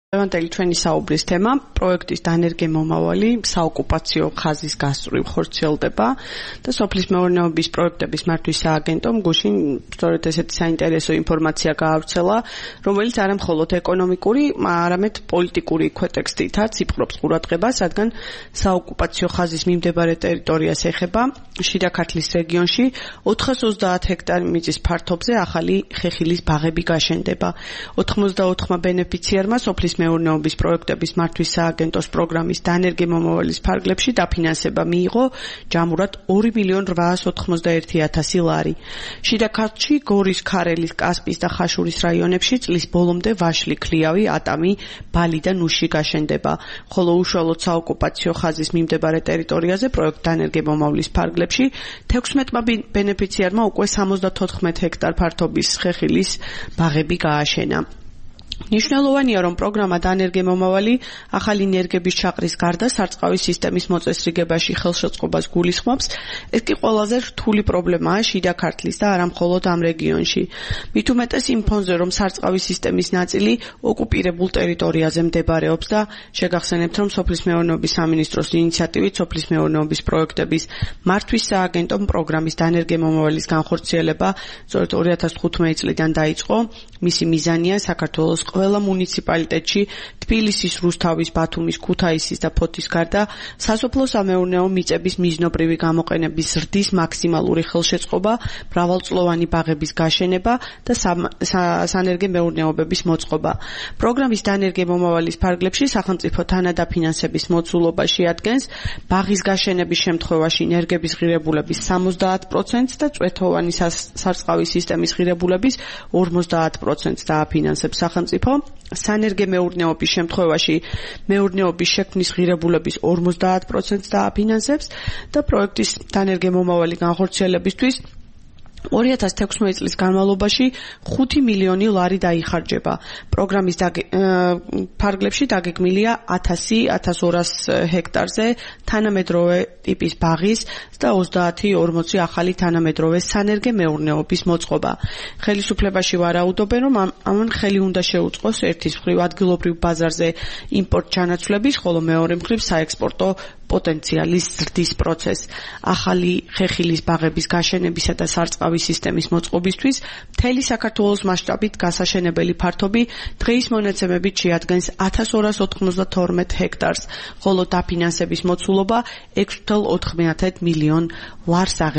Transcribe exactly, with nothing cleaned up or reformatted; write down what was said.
Ევანტელი ჩვენი საუბრის თემა პროექტის დანერგემომავალი საოკუპაციო ხაზის გასწვრივ ხორციელდება და სოფლის მეურნეობის პროექტების მართვის სააგენტომ გუშინ სწორედ ესეთი საინტერესო ინფორმაცია გაავრცელა, რომელიც არა მხოლოდ ეკონომიკური, არამედ პოლიტიკური ქვეტექსტითაც იპყრობს ყურადღებას, რადგან საოკუპაციო ხაზის მიმდებარე ტერიტორიას ეხება შიდა ქართლის რეგიონში ოთხას ოცდაათ ჰექტარი მიწის ფართობზე ახალი ხეხილის ბაღები გაშენდება. ოთხმოცდაოთხმა ბენეფიციარმა სოფლის მეურნეობის პროექტების მართვის სააგენტოს პროგრამის დანერგემომავალის ფარგლებში დაფინანსება მიიღო ჯამურად ორი მილიონი რვაას ოთხმოცდაერთი ათასი ლარი. შიდა ქართლში, გორის, ქარელის, კასპის და ხაშურის რაიონებში წლის ბოლომდე ვაშლი, ქლიავი, ატამი, ბალი და ნუში გაშენდება, ხოლო უშუალოდ საოკუპაციო ხაზის მიმდებარე ტერიტორიაზე პროექტ დანერგემომავლის ფარგლებში თექვსმეტმა ბენეფიციარმა უკვე სამოცდათოთხმეტ ჰექტარ ფართობის ხეხილის ბაღები გააშენა. ნიშნულოვანია, რომ პროგრამა დანერგემომავალი ახალი ენერგების ჩაყრის გარდა სარწყავი სისტემის მოწესრიგებაში ხელშეწყობას გულისხმობს. ეს კი ყველაზე რთული პრობლემაა შიდა ქართლის და არა მხოლოდ ამ რეგიონში. მით უმეტეს იმ ფონზე, რომ სარწყავი სისტემის ნაწილი ოკუპირებულ ტერიტორიაზე მდებარეობს და შეგახსენებთ, რომ სოფლის მეურნეობის სამინისტროს ინიციატივით სოფლის მეურნეობის პროექტების მართვის სააგენტომ პროგრამის დანერგემომავალის განხორციელება სწორედ ორი ათას თხუთმეტი წლიდან დაიწყო. მისი მიზანია საქართველოს ყველა მუნიციპალიტეტში თბილისის, რუსთავის, ბათუმის, ქუთაისის და ფოთის გარდა სასოფლო-სამეურნეო მიწების მიზნობრივი გამოყენების ზრდის მაქსიმალური ხელშეწყობა, მრავალწლოვანი ბაღების გაშენება და სანერგემეურნეობების მოწყობა. პროგრამის დანერგემომავალის ფარგლებში სახელმწიფო თანადაფინანსების მოცულობა შეადგენს ბაღის გაშენების შემთხვევაში ენერგების ღირებულების სამოცდაათ პროცენტს და წვეთოვანი სარწყავი სისტემის ღირებულების ორმოცდაათ პროცენტს დააფინანსებს სახელმწიფო. სანერგემეურნეობის შემთხვევაში მეურნეობის შექმნის ღირებულების ორმოცდაათ პროცენტს დააფინანსებს და პროექტის დანერგემომავალი განხორციელებისთვის ორი ათას თექვსმეტი წლის განმავლობაში ხუთი მილიონი ლარი დაიხარჯება. პროგრამის ფარგლებში დაგეგმილია ათასი ათას ორას ჰექტარზე თანამედროვე ტიპის ბაღის და ოცდაათი ორმოცი ახალი თანამედროვე სანერგემეურნეობის მოწყობა. ხელისუფლებაში ვარაუდობენ, რომ ამან ხელი უნდა შეუწყოს ერთის მხრივ ადგილობრივ ბაზარზე იმპორტ ჩანაცვლების, ხოლო მეორე მხრივ საექსპორტო პოტენციალის ზრდის პროცესს. ახალი ხეხილის ბაღების გაშენებისა და სარწყავი სისტემის მოწყობისთვის მთელი საქართველოს მასშტაბით გასაშენებელი ფართობი დღეის მონაცემებით შეადგენს ათას ორას ოთხმოცდათორმეტ ჰექტარს, ხოლო დაფინანსების მოცულობა ექვსი ათას ოთხ მილიონ ლარს